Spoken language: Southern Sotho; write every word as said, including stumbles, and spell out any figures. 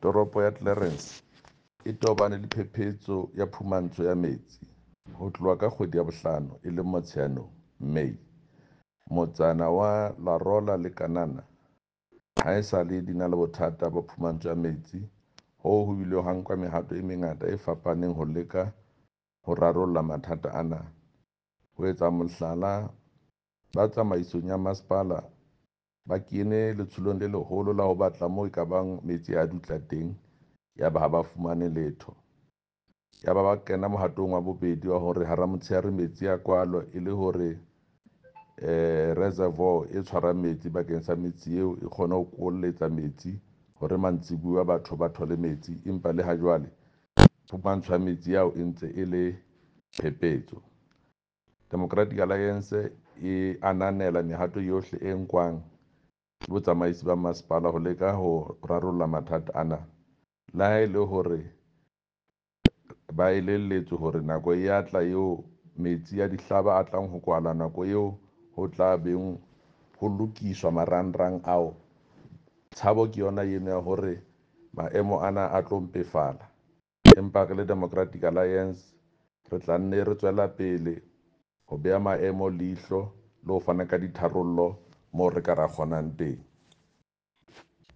Toropo ya Clarens e tobane le phephetso ya phumantsho ya metsi. Ho tloha ka kgwedi ya bohlano e leng Motsheanong, May, motsana wa La Rola le Kanana haesale di na le bothata ba phumantsho ya metsi hoo ho bileng ha nkwa mehato e mengata e fapaneng ho leka ho rarolla mathata ana. Ho etsa mohlala, ba tsamaisong ya masepala ba kene letsholong le leholo la ho batla moo ekabang metsi a dutla teng, yaba ha ba fumane letho. Yaba ba kena mohatong wa bobedi wa hore hara motshehare metsi a kwalwa e le hore eh reservoir e tshwarang metsi bakeng sa metsi eo e kgone ho kolletsa metsi hore mantsibuya batho ba thole metsi, empa le ha jwale phumantsho ya metsi ao e ntse e le phephetso. Democratic Alliance e ananela mehato yohle e nkwang ke botsamaisi ba masepala ho leka ho rarolla mathata ana. Le ha e le hore ba elelletswe hore nako e ya tla eo metsi a dihlaba a tlang ho kwala nako eo ho tla beng ho lokiswa marangrang ao. Tshabo ke yona eno ya hore maemo ana a tlo mpefala. Empa re le Democratic Alliance re tla nne re tswela pele ho beha maemo leihlo le ho fana ka ditharollo moo re ka ra kgonang teng.